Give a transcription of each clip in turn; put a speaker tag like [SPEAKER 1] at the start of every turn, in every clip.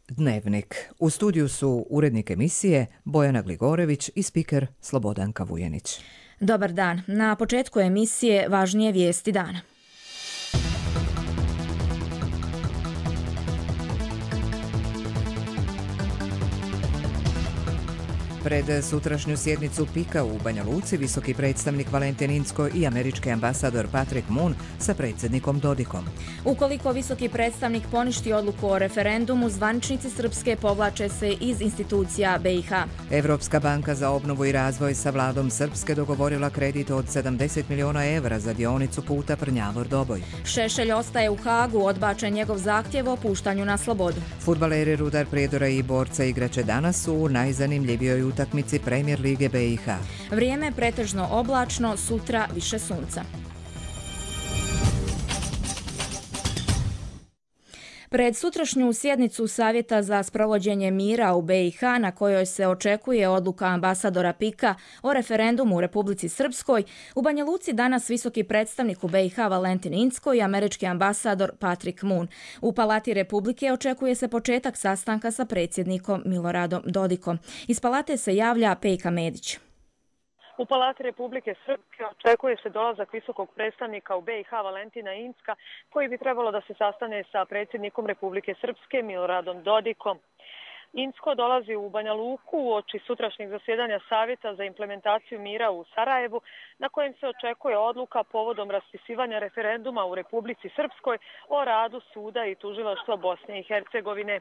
[SPEAKER 1] Dnevnik. U studiju su urednik emisije Bojana Gligorević i spiker Slobodanka Vujenić.
[SPEAKER 2] Dobar dan. Na početku emisije važnije vijesti dana.
[SPEAKER 1] Pred sutrašnju sjednicu PIK-a u Banja Luci visoki predstavnik Valentin Incko i američki ambasador Patrick Moon sa predsjednikom Dodikom.
[SPEAKER 2] Ukoliko visoki predstavnik poništi odluku o referendumu, zvaničnici Srpske povlače se iz institucija BiH.
[SPEAKER 1] Evropska banka za obnovu i razvoj sa vladom Srpske dogovorila kredit od 70 miliona evra za dionicu puta Prnjavor-Doboj.
[SPEAKER 2] Šešelj ostaje u Hagu, odbačen njegov zahtjev o puštanju na slobodu.
[SPEAKER 1] Fudbaleri Rudar Prijedora i Borca igraće danas u najzanimljivijoj utakmici Premier lige BiH.
[SPEAKER 2] Vrijeme pretežno oblačno, sutra više sunca. Pred sutrašnju sjednicu Savjeta za sprovođenje mira u BiH, na kojoj se očekuje odluka ambasadora PIK-a o referendumu u Republici Srpskoj, u Banja Luci danas visoki predstavnik u BiH Valentin Incko i američki ambasador Patrick Moon. U Palati Republike očekuje se početak sastanka sa predsjednikom Miloradom Dodikom. Iz Palate se javlja Pejka Medić.
[SPEAKER 3] U Palati Republike Srpske očekuje se dolazak visokog predstavnika u BiH Valentina Incka, koji bi trebalo da se sastane sa predsjednikom Republike Srpske Miloradom Dodikom. Incko dolazi u Banja Luku uoči sutrašnjeg zasjedanja Savjeta za implementaciju mira u Sarajevu, na kojem se očekuje odluka povodom raspisivanja referenduma u Republici Srpskoj o radu suda i tužilaštva Bosne i Hercegovine.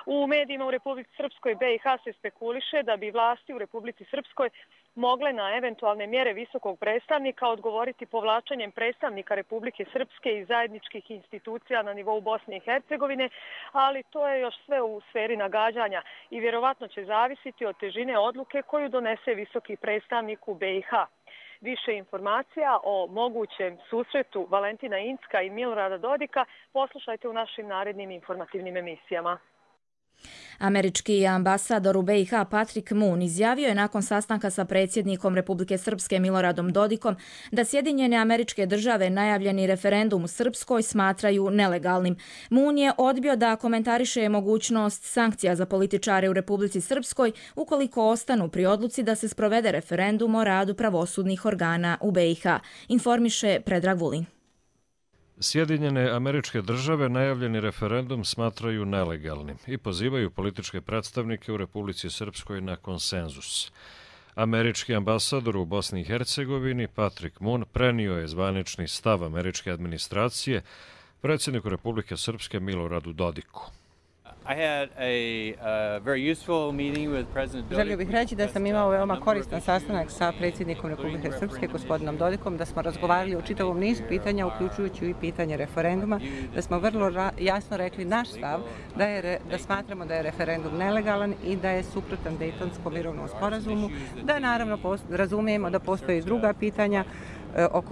[SPEAKER 3] U medijima u Republici Srpskoj BiH se spekuliše da bi vlasti u Republici Srpskoj mogle na eventualne mjere visokog predstavnika odgovoriti povlačenjem predstavnika Republike Srpske i zajedničkih institucija na nivou Bosne i Hercegovine, ali to je još sve u sferi nagađanja i vjerovatno će zavisiti od težine odluke koju donese visoki predstavnik u BiH. Više informacija o mogućem susretu Valentina Incka i Milorada Dodika poslušajte u našim narednim informativnim emisijama.
[SPEAKER 2] Američki ambasador u BiH Patrick Moon izjavio je nakon sastanka sa predsjednikom Republike Srpske Miloradom Dodikom da Sjedinjene Američke Države najavljeni referendum u Srpskoj smatraju nelegalnim. Moon je odbio da komentariše mogućnost sankcija za političare u Republici Srpskoj ukoliko ostanu pri odluci da se sprovede referendum o radu pravosudnih organa u BiH, informiše Predrag Vulin.
[SPEAKER 4] Sjedinjene Američke Države najavljeni referendum smatraju nelegalnim i pozivaju političke predstavnike u Republici Srpskoj na konsenzus. Američki ambasador u Bosni i Hercegovini Patrick Moon prenio je zvanični stav američke administracije predsjedniku Republike Srpske Miloradu Dodiku.
[SPEAKER 5] Želio bih reći da sam imao veoma koristan sastanak sa predsjednikom Republike Srpske, gospodinom Dodikom, da smo razgovarali o čitavom nizu pitanja, uključujući i pitanje referenduma, da smo vrlo jasno rekli naš stav, da smatramo da je referendum nelegalan i da je suprotan Dejtonskom mirovnom sporazumu, da naravno razumijemo da postoje druga pitanja o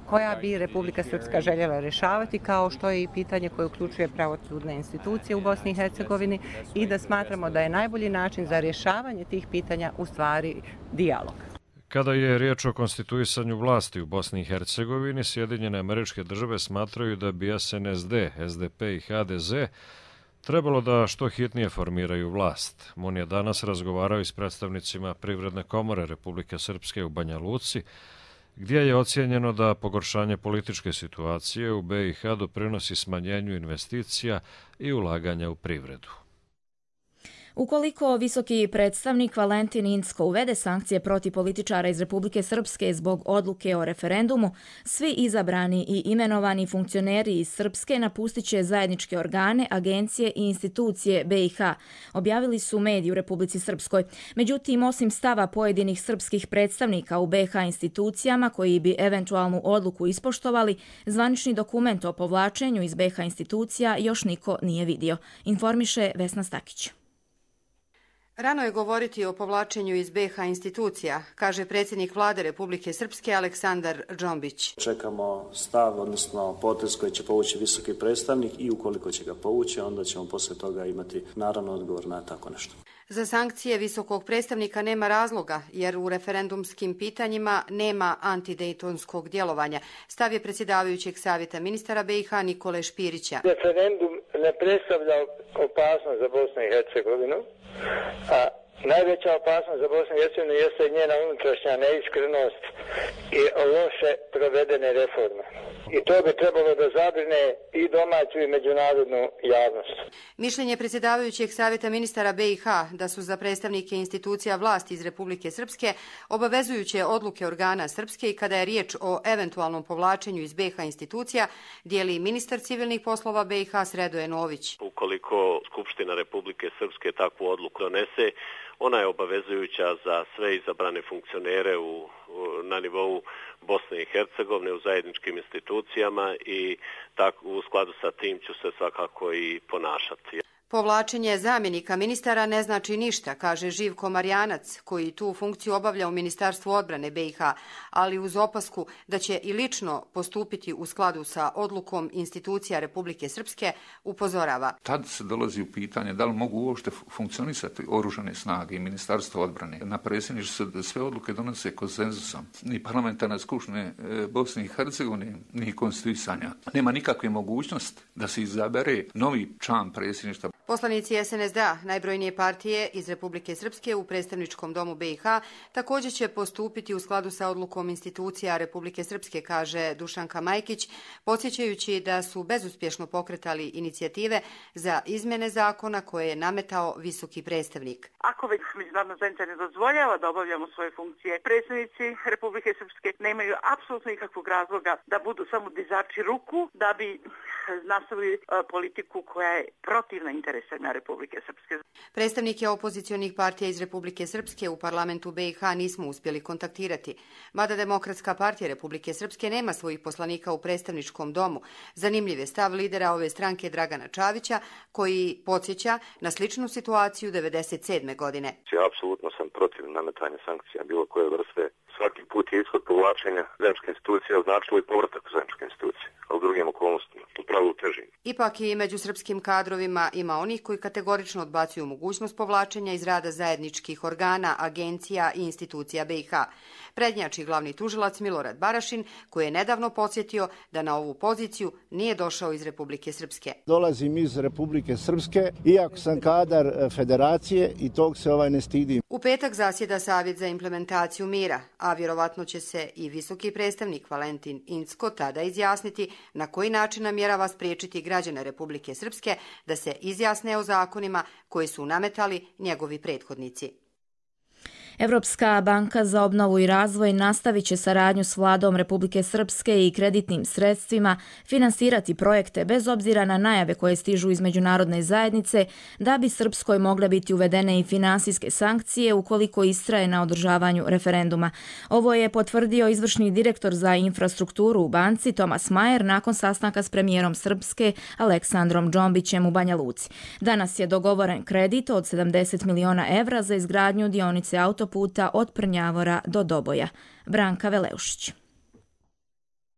[SPEAKER 5] koja bi Republika Srpska željela rješavati, kao što je i pitanje koje uključuje pravosudne institucije u Bosni i Hercegovini i da smatramo da je najbolji način za rješavanje tih pitanja u stvari dijalog.
[SPEAKER 4] Kada je riječ o konstituisanju vlasti u Bosni i Hercegovini, Sjedinjene Američke Države smatraju da bi SNSD, SDP i HDZ trebalo da što hitnije formiraju vlast. Moon je danas razgovarao i s predstavnicima Privredne komore Republike Srpske u Banja Luci, gdje je ocijenjeno da pogoršanje političke situacije u BiH doprinosi smanjenju investicija i ulaganja u privredu.
[SPEAKER 2] Ukoliko visoki predstavnik Valentin Incko uvede sankcije protiv političara iz Republike Srpske zbog odluke o referendumu, svi izabrani i imenovani funkcioneri iz Srpske napustit će zajedničke organe, agencije i institucije BiH, objavili su mediji u Republici Srpskoj. Međutim, osim stava pojedinih srpskih predstavnika u BiH institucijama koji bi eventualnu odluku ispoštovali, zvanični dokument o povlačenju iz BiH institucija još niko nije vidio, informiše Vesna Stakić.
[SPEAKER 6] Rano je govoriti o povlačenju iz BiH institucija, kaže predsjednik vlade Republike Srpske Aleksandar Džombić.
[SPEAKER 7] Čekamo stav, odnosno potez koji će povući visoki predstavnik i ukoliko će ga povući, onda ćemo poslije toga imati naravno odgovor na tako nešto.
[SPEAKER 6] Za sankcije visokog predstavnika nema razloga, jer u referendumskim pitanjima nema antidejtonskog djelovanja. Stav je predsjedavajućeg savjeta ministara BiH Nikole Špirića.
[SPEAKER 8] Referendum ne predstavlja opasnost za Bosnu i Hercegovinu, a najveća opasnost za Bosnu i Hercegovinu jeste njena unutrašnja neiskrenost i loše provedene reforme. I to bi trebalo da zabrine i domaću i međunarodnu javnost.
[SPEAKER 6] Mišljenje predsjedavajućeg savjeta ministara BiH da su za predstavnike institucija vlasti iz Republike Srpske obavezujuće odluke organa Srpske i kada je riječ o eventualnom povlačenju iz BiH institucija, dijeli ministar civilnih poslova BiH Sredoje Nović.
[SPEAKER 9] Ukoliko Skupština Republike Srpske takvu odluku donese, ona je obavezujuća za sve izabrane funkcionere na nivou Bosne i Hercegovine u zajedničkim institucijama i u skladu sa tim ću se svakako i ponašati.
[SPEAKER 6] Povlačenje zamjenika ministara ne znači ništa, kaže Živko Marjanac, koji tu funkciju obavlja u Ministarstvu odbrane BiH, ali uz opasku da će i lično postupiti u skladu sa odlukom institucija Republike Srpske, upozorava.
[SPEAKER 10] Tad se dolazi u pitanje da li mogu uopšte funkcionisati oružane snage i Ministarstvo odbrane. Na predsjedništvu se sve odluke donose konsenzusom. Ni parlamentarna skupština Bosne i Hercegovine, ni konstituisanja. Nema nikakve mogućnosti da se izabere novi član predsjedništva.
[SPEAKER 6] Poslanici SNSD-a, najbrojnije partije iz Republike Srpske u predstavničkom domu BiH, također će postupiti u skladu sa odlukom institucija Republike Srpske, kaže Dušanka Majkić, podsjećajući da su bezuspješno pokretali inicijative za izmjene zakona koje je nametao visoki predstavnik.
[SPEAKER 11] Ako već međunarodna zajednica ne dozvoljava da obavljamo svoje funkcije, predstavnici Republike Srpske nemaju apsolutno nikakvog razloga da budu samo dizači ruku, da bi nastavili politiku koja je protivna interesima Republike Srpske.
[SPEAKER 6] Predstavnike opozicionih partija iz Republike Srpske u parlamentu BiH nismo uspjeli kontaktirati, mada Demokratska partija Republike Srpske nema svojih poslanika u predstavničkom domu. Zanimljiv je stav lidera ove stranke Dragana Čavića, koji podsjeća na sličnu situaciju 1997. godine.
[SPEAKER 12] Apsolutno sam protiv nametanja sankcija bilo koje vrste. Svaki put je ishod povlačenja zajedničke institucije označilo i povratak u zajedničke institucije, a u drugim okolnostima, u pravilu težim.
[SPEAKER 6] Ipak i među srpskim kadrovima ima onih koji kategorično odbacuju mogućnost povlačenja iz rada zajedničkih organa, agencija i institucija BiH. Prednjači glavni tužilac Milorad Barašin, koji je nedavno podsjetio da na ovu poziciju nije došao iz Republike Srpske.
[SPEAKER 13] Dolazim iz Republike Srpske, iako sam kadar federacije i tog se ne stidim.
[SPEAKER 6] U petak zasjeda Savjet za implementaciju mira, a vjerovatno će se i visoki predstavnik Valentin Incko tada izjasniti na koji način namjerava spriječiti građane Republike Srpske da se izjasne o zakonima koji su nametali njegovi prethodnici.
[SPEAKER 2] Evropska banka za obnovu i razvoj nastavit će saradnju s vladom Republike Srpske i kreditnim sredstvima finansirati projekte bez obzira na najave koje stižu iz međunarodne zajednice da bi Srpskoj mogle biti uvedene i finansijske sankcije ukoliko istraje na održavanju referenduma. Ovo je potvrdio izvršni direktor za infrastrukturu u banci Tomas Majer nakon sastanka s premijerom Srpske Aleksandrom Džombićem u Banja Luci. Danas je dogovoren kredit od 70 miliona evra za izgradnju dionice autoputa od Prnjavora do Doboja. Branka Veleušić.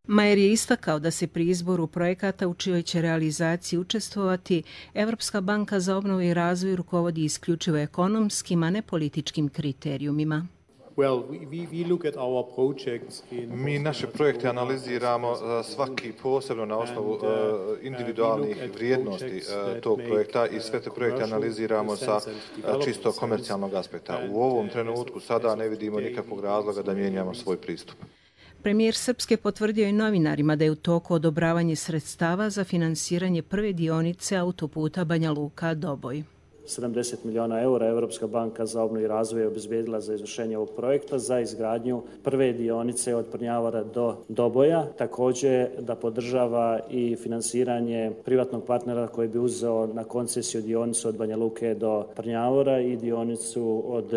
[SPEAKER 14] Majer je istakao da se pri izboru projekata u čijoj će realizaciji učestvovati Evropska banka za obnovu i razvoj rukovodi isključivo ekonomskim, a ne političkim kriterijumima.
[SPEAKER 15] Mi naše projekte analiziramo svaki posebno na osnovu individualnih vrijednosti tog projekta i sve te projekte analiziramo sa čisto komercijalnog aspekta. U ovom trenutku sada ne vidimo nikakvog razloga da mijenjamo svoj pristup.
[SPEAKER 14] Premijer Srpske potvrdio i novinarima da je u toku odobravanje sredstava za finansiranje prve dionice autoputa Banja Luka-Doboj.
[SPEAKER 16] 70 miliona eura Evropska banka za obnovu i razvoj je obezbijedila za izvršenje ovog projekta za izgradnju prve dionice od Prnjavora do Doboja. Također da podržava i finansiranje privatnog partnera koji bi uzeo na koncesiju dionicu od Banja Luke do Prnjavora i dionicu od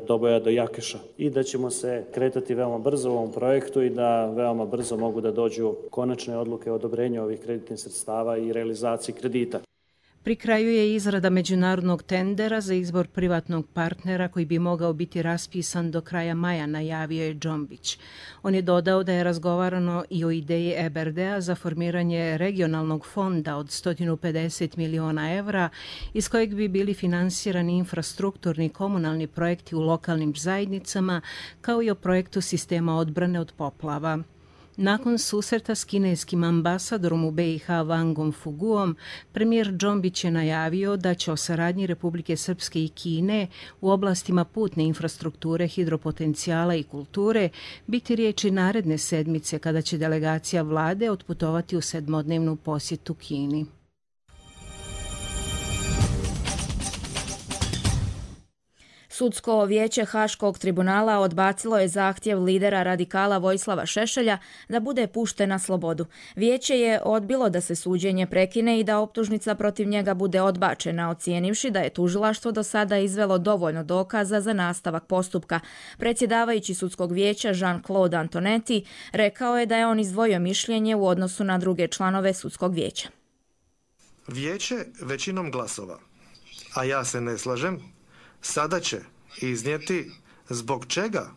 [SPEAKER 16] Doboja do Jakeša. I da ćemo se kretati veoma brzo u ovom projektu i da veoma brzo mogu da dođu konačne odluke o odobrenju ovih kreditnih sredstava i realizaciji kredita.
[SPEAKER 14] Pri kraju je izrada međunarodnog tendera za izbor privatnog partnera koji bi mogao biti raspisan do kraja maja, najavio je Džombić. On je dodao da je razgovarano i o ideji EBRD-a za formiranje regionalnog fonda od 150 miliona evra iz kojeg bi bili finansirani infrastrukturni komunalni projekti u lokalnim zajednicama kao i o projektu sistema odbrane od poplava. Nakon susreta s kineskim ambasadorom u BiH Wangom Fuguom, premijer Džombić je najavio da će o saradnji Republike Srpske i Kine u oblastima putne infrastrukture, hidropotencijala i kulture biti riječi naredne sedmice kada će delegacija vlade otputovati u 7-dnevnu posjetu Kini.
[SPEAKER 2] Sudsko vijeće Haškog tribunala odbacilo je zahtjev lidera radikala Vojislava Šešelja da bude pušten na slobodu. Vijeće je odbilo da se suđenje prekine i da optužnica protiv njega bude odbačena, ocijenivši da je tužilaštvo do sada izvelo dovoljno dokaza za nastavak postupka. Predsjedavajući sudskog vijeća Jean-Claude Antonetti rekao je da je on izdvojio mišljenje u odnosu na druge članove sudskog vijeća.
[SPEAKER 17] Vijeće većinom glasova, a ja se ne slažem, sada će iznijeti zbog čega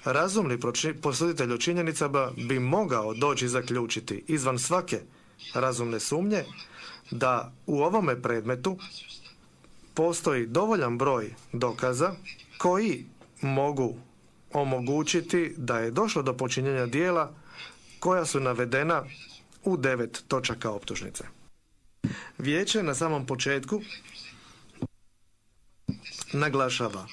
[SPEAKER 17] razumni posuditelj o činjenicama bi mogao doći zaključiti izvan svake razumne sumnje da u ovome predmetu postoji dovoljan broj dokaza koji mogu omogućiti da je došlo do počinjenja djela koja su navedena u 9 točaka optužnice. Vijeće na samom početku naglašava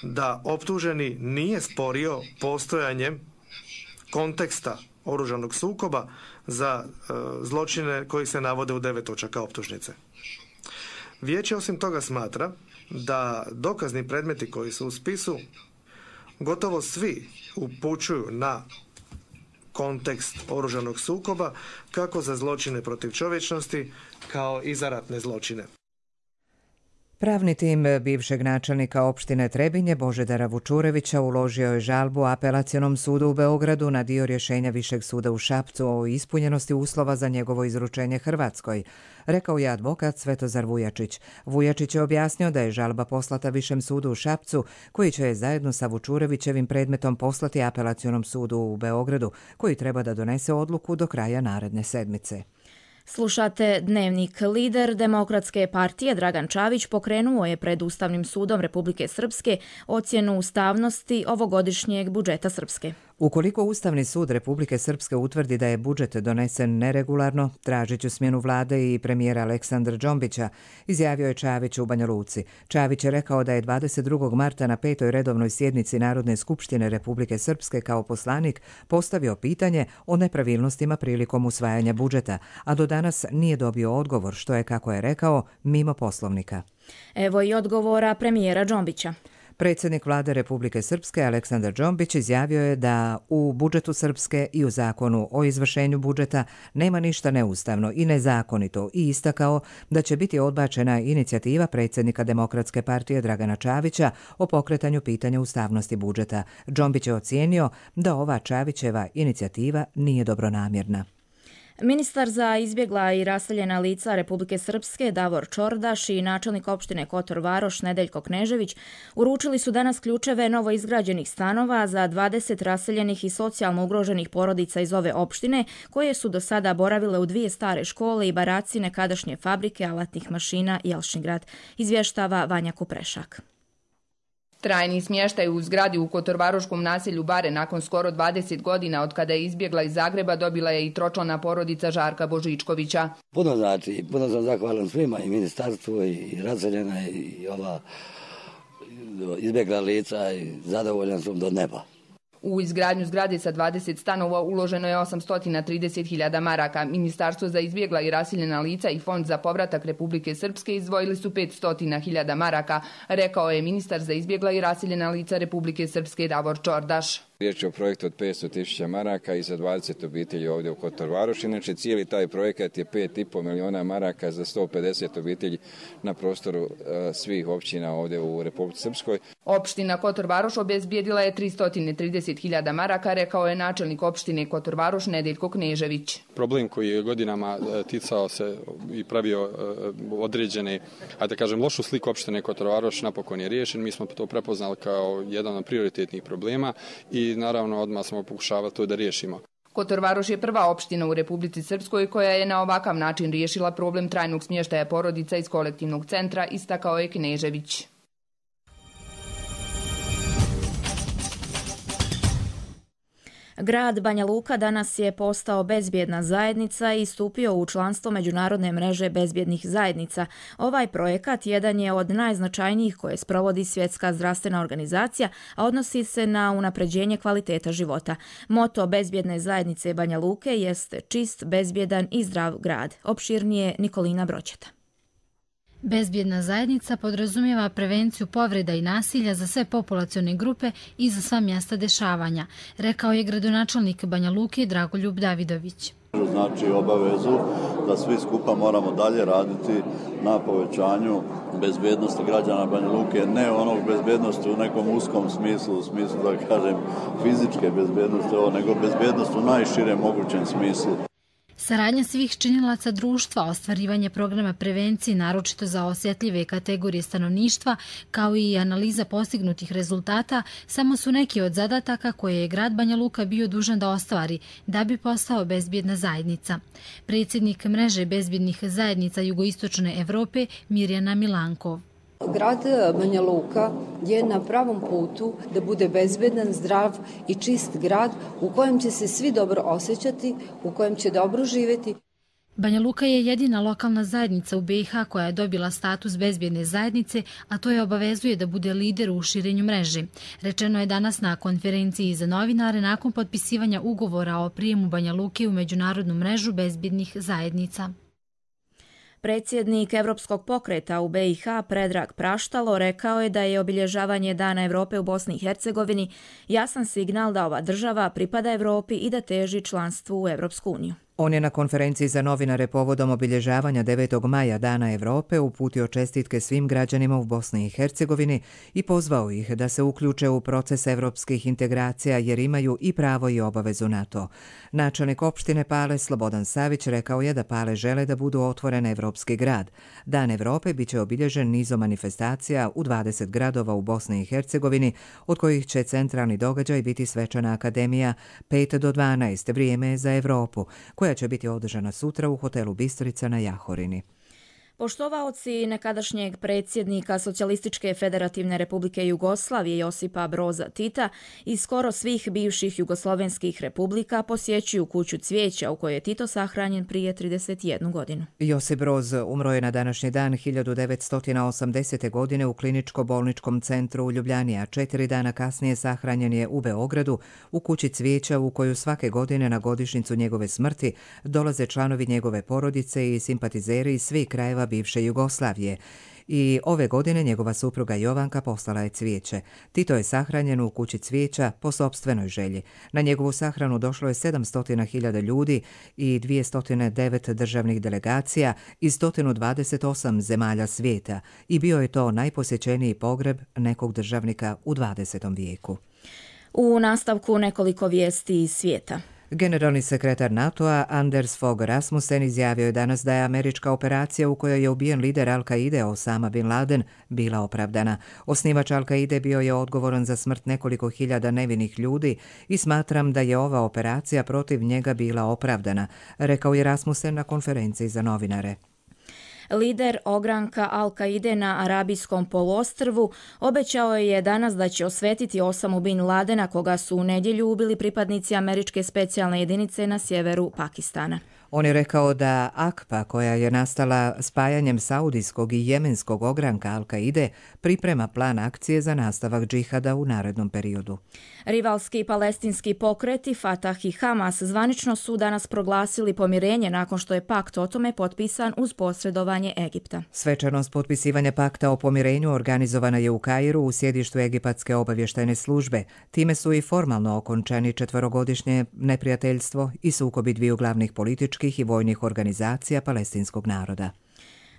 [SPEAKER 17] da optuženi nije sporio postojanjem konteksta oružanog sukoba za zločine koji se navode u 9 točaka optužnice. Vijeće osim toga smatra da dokazni predmeti koji su u spisu gotovo svi upućuju na kontekst oružanog sukoba kako za zločine protiv čovječnosti kao i za ratne zločine.
[SPEAKER 1] Pravni tim bivšeg načelnika opštine Trebinje Božidara Vučurevića uložio je žalbu Apelacionom sudu u Beogradu na dio rješenja Višeg suda u Šapcu o ispunjenosti uslova za njegovo izručenje Hrvatskoj, rekao je advokat Svetozar Vujačić. Vujačić je objasnio da je žalba poslata Višem sudu u Šapcu, koji će je zajedno sa Vučurevićevim predmetom poslati Apelacionom sudu u Beogradu, koji treba da donese odluku do kraja naredne sedmice.
[SPEAKER 2] Slušate Dnevnik. Lider Demokratske partije Dragan Čavić pokrenuo je pred Ustavnim sudom Republike Srpske ocjenu ustavnosti ovogodišnjeg budžeta Srpske.
[SPEAKER 1] Ukoliko Ustavni sud Republike Srpske utvrdi da je budžet donesen neregularno, tražit ću smjenu vlade i premijera Aleksandra Džombića, izjavio je Čavić u Banja Luci. Čavić je rekao da je 22. marta na 5. redovnoj sjednici Narodne skupštine Republike Srpske kao poslanik postavio pitanje o nepravilnostima prilikom usvajanja budžeta, a do danas nije dobio odgovor, što je, kako je rekao, mimo poslovnika.
[SPEAKER 2] Evo i odgovora premijera Džombića.
[SPEAKER 1] Predsjednik vlade Republike Srpske Aleksandar Džombić izjavio je da u budžetu Srpske i u zakonu o izvršenju budžeta nema ništa neustavno i nezakonito i istakao da će biti odbačena inicijativa predsjednika Demokratske partije Dragana Čavića o pokretanju pitanja ustavnosti budžeta. Džombić je ocijenio da ova Čavićeva inicijativa nije dobronamjerna.
[SPEAKER 2] Ministar za izbjegla i raseljena lica Republike Srpske Davor Čordaš i načelnik opštine Kotor Varoš Nedeljko Knežević uručili su danas ključeve novoizgrađenih stanova za 20 raseljenih i socijalno ugroženih porodica iz ove opštine koje su do sada boravile u 2 stare škole i baraci nekadašnje fabrike alatnih mašina Jelšingrad, izvještava Vanja Kuprešak.
[SPEAKER 18] Trajni smještaj u zgradi u kotorvaroškom naselju Bare nakon skoro 20 godina od kada je izbjegla iz Zagreba dobila je i tročlana porodica Žarka Božičkovića.
[SPEAKER 19] Puno znači, puno sam zahvalan svima i ministarstvu i raseljena i ova izbjegla lica i zadovoljan sam do neba.
[SPEAKER 18] U izgradnju zgrade sa 20 stanova uloženo je 830.000 maraka. Ministarstvo za izbjegla i raseljena lica i Fond za povratak Republike Srpske izdvojili su 500.000 maraka, rekao je ministar za izbjegla i raseljena lica Republike Srpske Davor Čordaš.
[SPEAKER 20] Riječ je o projektu od 500.000 maraka i za 20 obitelji ovdje u Kotor Varoš. Inače, cijeli taj projekat je 5,5 milijuna maraka za 150 obitelji na prostoru svih općina ovdje u Republici Srpskoj.
[SPEAKER 18] Opština Kotor Varoš obezbijedila je 330.000 maraka, rekao je načelnik opštine Kotor Varoš Nedeljko Knežević.
[SPEAKER 21] Problem koji je godinama ticao se i pravio određene, da kažem, lošu sliku opštine Kotor Varoš napokon je riješen. Mi smo to prepoznali kao jedan od prioritetnih problema i naravno odmah smo pokušavali to da riješimo.
[SPEAKER 18] Kotor Varoš je prva opština u Republici Srpskoj koja je na ovakav način riješila problem trajnog smještaja porodica iz kolektivnog centra, istakao je Knežević.
[SPEAKER 2] Grad Banja Luka danas je postao bezbjedna zajednica i stupio u članstvo Međunarodne mreže bezbjednih zajednica. Ovaj projekat jedan je od najznačajnijih koje sprovodi Svjetska zdravstvena organizacija, a odnosi se na unapređenje kvaliteta života. Moto bezbjedne zajednice Banja Luke jest čist, bezbjedan i zdrav grad. Opširnije Nikolina Broćeta.
[SPEAKER 3] Bezbjedna zajednica podrazumijeva prevenciju povreda i nasilja za sve populacione grupe i za sva mjesta dešavanja, rekao je gradonačelnik Banja Luke Dragoljub Davidović.
[SPEAKER 22] Znači obavezu da svi skupa moramo dalje raditi na povećanju bezbjednosti građana Banja Luke, ne onog bezbjednosti u nekom uskom smislu, u smislu da kažem fizičke bezbjednosti, nego bezbjednost u najširem mogućem smislu.
[SPEAKER 3] Saradnja svih činilaca društva, ostvarivanje programa prevencije, naročito za osjetljive kategorije stanovništva, kao i analiza postignutih rezultata, samo su neki od zadataka koje je grad Banja Luka bio dužan da ostvari da bi postao bezbjedna zajednica. Predsjednik mreže bezbjednih zajednica Jugoistočne Evrope Mirjana Milankov.
[SPEAKER 23] Grad Banja Luka je na pravom putu da bude bezbedan, zdrav i čist grad u kojem će se svi dobro osjećati, u kojem će dobro živjeti.
[SPEAKER 3] Banja Luka je jedina lokalna zajednica u BiH koja je dobila status bezbjedne zajednice, a to je obavezuje da bude lider u širenju mreže. Rečeno je danas na konferenciji za novinare nakon potpisivanja ugovora o prijemu Banja Luke u međunarodnu mrežu bezbjednih zajednica.
[SPEAKER 2] Predsjednik Evropskog pokreta u BiH Predrag Praštalo rekao je da je obilježavanje Dana Evrope u Bosni i Hercegovini jasan signal da ova država pripada Evropi i da teži članstvu u Evropsku uniju.
[SPEAKER 1] On je na konferenciji za novinare povodom obilježavanja 9. maja Dana Evrope uputio čestitke svim građanima u Bosni i Hercegovini i pozvao ih da se uključe u proces evropskih integracija jer imaju i pravo i obavezu na to. Načelnik opštine Pale Slobodan Savić rekao je da Pale žele da budu otvoren evropski grad. Dan Evrope biće obilježen nizom manifestacija u 20 gradova u Bosni i Hercegovini, od kojih će centralni događaj biti svečana akademija 5 do 12 vrijeme za Evropu, koja će biti održana sutra u hotelu Bistrica na Jahorini.
[SPEAKER 2] Poštovaoci nekadašnjeg predsjednika Socijalističke federativne republike Jugoslavije Josipa Broza Tita i skoro svih bivših jugoslovenskih republika posjećuju kuću cvijeća u kojoj je Tito sahranjen prije 31 godinu.
[SPEAKER 1] Josip Broz umro je na današnji dan 1980. godine u kliničko-bolničkom centru u Ljubljani, a 4 dana kasnije sahranjen je u Beogradu u kući cvijeća u koju svake godine na godišnjicu njegove smrti dolaze članovi njegove porodice i simpatizeri iz svih krajeva bivše Jugoslavije. I ove godine njegova supruga Jovanka poslala je cvijeće. Tito je sahranjen u kući cvijeća po sopstvenoj želji. Na njegovu sahranu došlo je 700.000 ljudi i 209 državnih delegacija iz 128 zemalja svijeta i bio je to najposjećeniji pogreb nekog državnika u 20. vijeku.
[SPEAKER 2] U nastavku nekoliko vijesti iz svijeta.
[SPEAKER 1] Generalni sekretar NATO-a Anders Fogh Rasmussen izjavio je danas da je američka operacija u kojoj je ubijen lider Al-Kaide Osama Bin Laden bila opravdana. Osnivač Al-Kaide bio je odgovoran za smrt nekoliko hiljada nevinih ljudi i smatram da je ova operacija protiv njega bila opravdana, rekao je Rasmussen na konferenciji za novinare.
[SPEAKER 2] Lider ogranka Al-Kaide na Arabijskom poluostrvu obećao je danas da će osvetiti Osamu Bin Ladena, koga su u nedjelju ubili pripadnici američke specijalne jedinice na sjeveru Pakistana.
[SPEAKER 1] On je rekao da AKPA, koja je nastala spajanjem saudijskog i jemenskog ogranka Al-Kaide, priprema plan akcije za nastavak džihada u narednom periodu.
[SPEAKER 2] Rivalski palestinski pokreti Fatah i Hamas zvanično su danas proglasili pomirenje nakon što je pakt o tome potpisan uz posredovanje Egipta.
[SPEAKER 1] Svečanost potpisivanja pakta o pomirenju organizovana je u Kairu u sjedištu Egipatske obavještajne službe. Time su i formalno okončani 4-godišnje neprijateljstvo i sukobi dviju glavnih političkih i vojnih organizacija palestinskog naroda.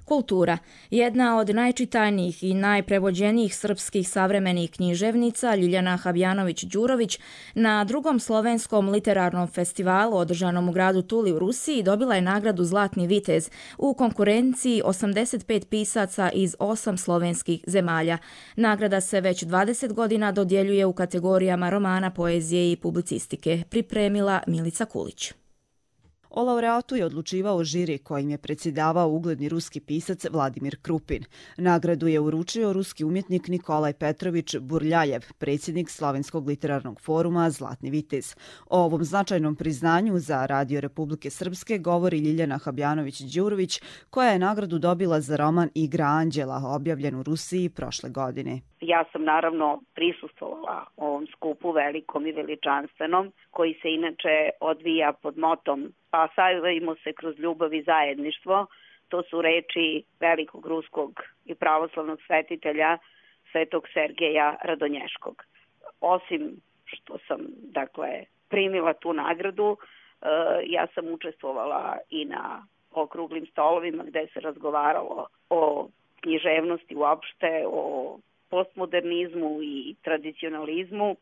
[SPEAKER 2] Kultura. Jedna od najčitanijih i najprevođenijih srpskih savremenih književnica, Ljiljana Habjanović-Đurović, na drugom slovenskom literarnom festivalu održanom u gradu Tuli u Rusiji dobila je nagradu Zlatni vitez u konkurenciji 85 pisaca iz 8 slovenskih zemalja. Nagrada se već 20 godina dodjeljuje u kategorijama romana, poezije i publicistike. Pripremila Milica Kulić.
[SPEAKER 4] O laureatu je odlučivao žiri kojim je predsjedavao ugledni ruski pisac Vladimir Krupin. Nagradu je uručio ruski umjetnik Nikolaj Petrović Burljajev, predsjednik Slovenskog literarnog foruma Zlatni vitez. O ovom značajnom priznanju za Radio Republike Srpske govori Ljiljana Habjanović-Đurović, koja je nagradu dobila za roman Igra anđela, objavljen u Rusiji prošle godine.
[SPEAKER 5] Ja sam naravno prisustvovala ovom skupu velikom i veličanstvenom, koji se inače odvija pod motom pa savimo se kroz ljubav i zajedništvo. To su reči velikog ruskog i pravoslavnog svetitelja Svetog Sergeja Radonješkog. Osim što sam primila tu nagradu, ja sam učestvovala i na okruglim stolovima gde se razgovaralo o književnosti uopšte, o postmodernizmu i tradicionalizmu.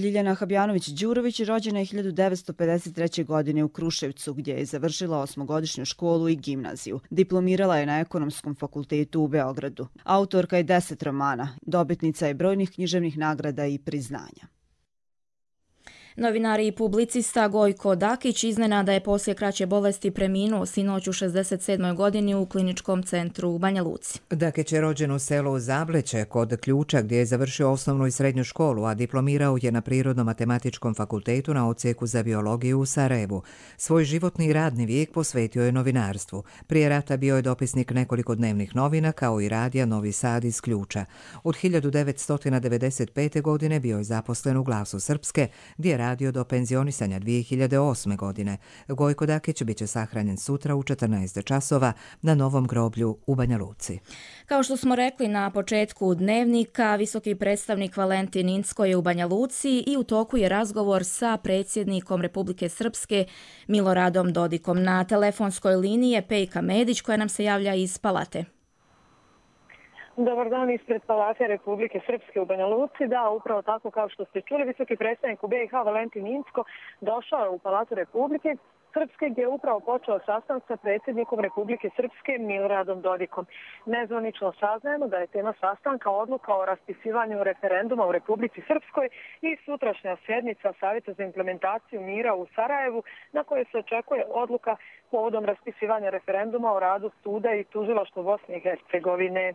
[SPEAKER 4] Ljiljana Habjanović-Đurović rođena je 1953. godine u Kruševcu, gdje je završila 8-godišnju školu i gimnaziju. Diplomirala je na Ekonomskom fakultetu u Beogradu. Autorka je 10 romana, dobitnica je brojnih književnih nagrada i priznanja.
[SPEAKER 2] Novinar i publicista Gojko Dakić iznenada je poslije kraće bolesti preminuo sinoć u 67. godini u kliničkom centru u Banja Luci.
[SPEAKER 1] Dakić je rođen u selu Zableće kod Ključa, gdje je završio osnovnu i srednju školu, a diplomirao je na Prirodno-matematičkom fakultetu na odsjeku za biologiju u Sarajevu. Svoj životni i radni vijek posvetio je novinarstvu. Prije rata bio je dopisnik nekoliko dnevnih novina, kao i radija Novi Sad iz Ključa. Od 1995. godine bio je zaposlen u Glasu Srpske, gdje je radio do penzionisanja 2008. godine. Gojko Dakić bit će sahranjen sutra u 14 časova na Novom groblju u Banja Luci.
[SPEAKER 2] Kao što smo rekli na početku dnevnika, visoki predstavnik Valentin Incko je u Banja Luci i u toku je razgovor sa predsjednikom Republike Srpske Miloradom Dodikom. Na telefonskoj liniji je Pejka Medić, koja nam se javlja iz Palate.
[SPEAKER 7] Dobar dan ispred Palate Republike Srpske u Banja Luci. Da, upravo tako kao što ste čuli, visoki predstavnik u BiH Valentin Incko došao je u Palatu Republike Srpske, gdje je upravo počeo sastanak sa predsjednikom Republike Srpske Miloradom Dodikom. Nezvanično saznajemo da je tema sastanka odluka o raspisivanju referenduma u Republici Srpskoj i sutrašnja sjednica Savjeta za implementaciju mira u Sarajevu, na kojoj se očekuje odluka povodom raspisivanja referenduma o radu suda i tužilaštva Bosne i Hercegovine.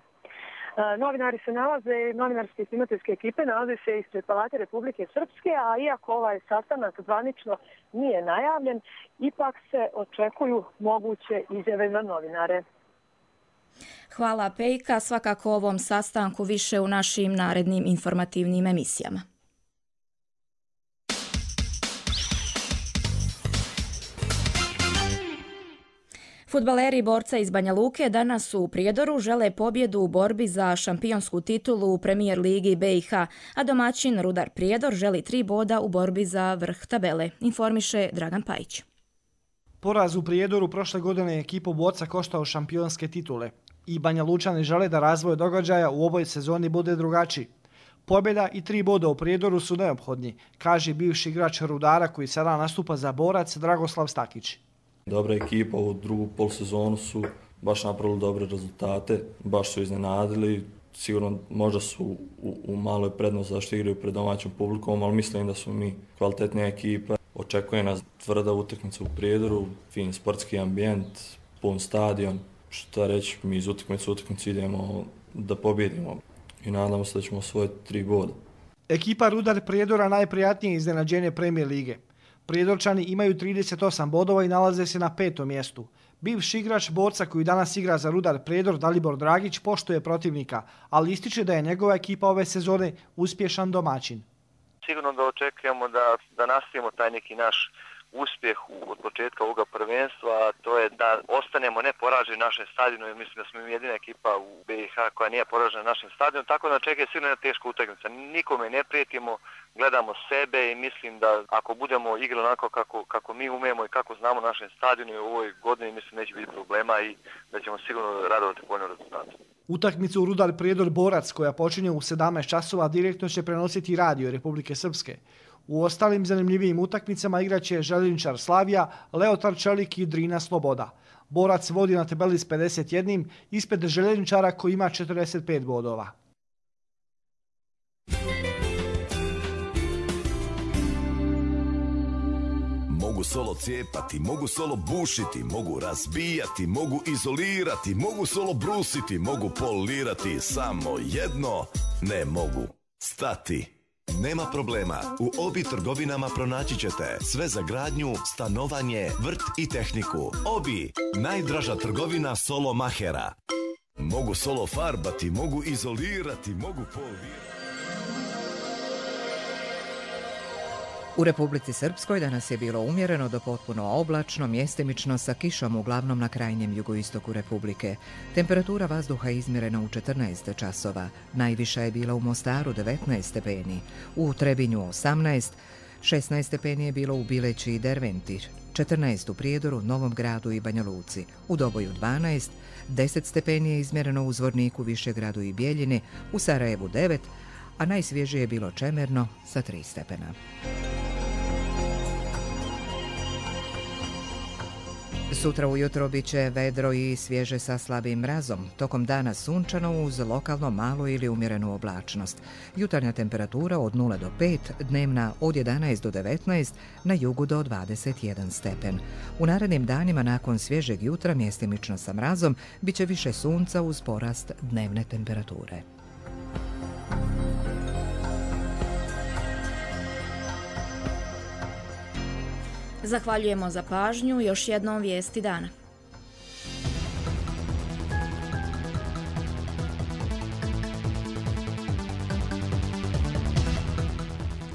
[SPEAKER 7] Novinari se nalaze, novinarske i snimateljske ekipe nalaze se ispred Palate Republike Srpske, a iako ovaj sastanak zvanično nije najavljen, ipak se očekuju moguće izjave za novinare.
[SPEAKER 2] Hvala Pejka, svakako o ovom sastanku više u našim narednim informativnim emisijama. Fudbaleri borca iz Banja Luke danas u Prijedoru žele pobjedu u borbi za šampionsku titulu u Premier ligi BiH, a domaćin Rudar Prijedor želi 3 boda u borbi za vrh tabele, informiše Dragan Pajić.
[SPEAKER 24] Poraz u Prijedoru prošle godine je ekipu borca koštao šampionske titule i Banja Lučani žele da razvoj događaja u ovoj sezoni bude drugačiji. Pobjeda i 3 boda u Prijedoru su neophodni, kaže bivši igrač Rudara koji sada nastupa za Borac Dragoslav Stakić.
[SPEAKER 25] Dobra ekipa u drugu polsezonu su baš napravili dobre rezultate, baš su iznenadili, sigurno možda su u maloj prednosti zašto igraju pred domaćom publikom, ali mislim da su mi kvalitetnija ekipa. Očekuje nas tvrda utakmica u Prijedoru, fin sportski ambijent, pun stadion. Šta reći, mi iz utakmice u utakmicu idemo da pobjedimo i nadamo se da ćemo osvojiti 3 boda.
[SPEAKER 24] Ekipa Rudar Prijedora najprijatnije iznenađenje Premier lige. Prijedorčani imaju 38 bodova i nalaze se na 5. mjestu. Bivši igrač borca koji danas igra za Rudar Prijedor, Dalibor Dragić, poštuje protivnika, ali ističe da je njegova ekipa ove sezone uspješan domaćin.
[SPEAKER 12] Sigurno da očekujemo da nastavimo taj neki naš uspjeh od početka ovoga prvenstva, a to je da ostanemo neporaženi na našem stadionu, jer mislim da smo mi jedina ekipa u BiH koja nije poražena na našem stadionu, tako da čeka je sigurno jedna teška utakmica. Nikome ne prijetimo, gledamo sebe i mislim da ako budemo igrali onako kako mi umijemo i kako znamo našem stadionu u ovoj godini, mislim neće biti problema i da ćemo sigurno radovati povoljno rezultate.
[SPEAKER 24] Utakmicu u Rudar Prijedor Borac, koja počinje u 17 časova, direktno će prenositi Radio Republike Srpske. U ostalim zanimljivijim utakmicama igraće željezničar Slavija, Leotar Čelik i Drina Sloboda. Borac vodi na tabeli s 51, ispred željezničara koji ima 45 bodova.
[SPEAKER 8] Mogu solo cijepati, mogu solo bušiti, mogu razbijati, mogu izolirati, mogu solo brusiti, mogu polirati, samo jedno ne mogu. Stati. Nema problema, u Obi trgovinama pronaći ćete sve za gradnju, stanovanje, vrt i tehniku. Obi, najdraža trgovina solo mahera. Mogu solo farbati, mogu izolirati, mogu polirati.
[SPEAKER 1] U Republici Srpskoj danas je bilo umjereno do potpuno oblačno, mjestimično sa kišom uglavnom na krajnjem jugoistoku Republike. Temperatura vazduha izmjerena u 14 časova. Najviša je bila u Mostaru 19 stepeni, u Trebinju 18, 16 stepeni je bilo u Bileći i Derventi, 14 u Prijedoru, Novom Gradu i Banja Luci, u Doboju 12, 10 stepeni je izmjereno u Zvorniku, Višegradu i Bijeljini, u Sarajevu 9, a najsvježije je bilo Čemerno sa 3 stepena. Sutra ujutro bit će vedro i svježe sa slabim mrazom. Tokom dana sunčano uz lokalno malu ili umjerenu oblačnost. Jutarnja temperatura od 0 do 5, dnevna od 11 do 19, na jugu do 21 stepen. U narednim danima nakon svježeg jutra mjestimično sa mrazom bit će više sunca uz porast dnevne temperature.
[SPEAKER 2] Zahvaljujemo za pažnju. Još jednom vijesti dana.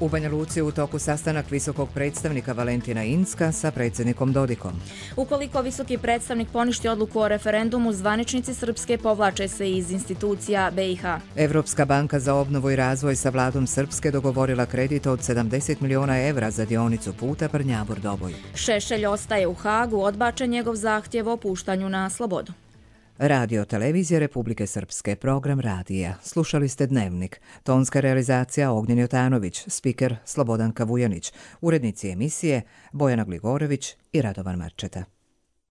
[SPEAKER 1] U Banja Luci u toku sastanak visokog predstavnika Valentina Incka sa predsjednikom Dodikom.
[SPEAKER 2] Ukoliko visoki predstavnik poništi odluku o referendumu, zvaničnici Srpske povlače se iz institucija BiH.
[SPEAKER 1] Evropska banka za obnovu i razvoj sa vladom Srpske dogovorila kredit od 70 miliona evra za dionicu puta Brnjavor-Doboj.
[SPEAKER 2] Šešelj ostaje u Hagu, odbačen njegov zahtjev o puštanju na slobodu.
[SPEAKER 1] Radio Televizije Republike Srpske, program radija. Slušali ste Dnevnik. Tonska realizacija Ognjen Jotanović, spiker Slobodanka Vujanić, urednici emisije Bojana Gligorević i Radovan Marčeta.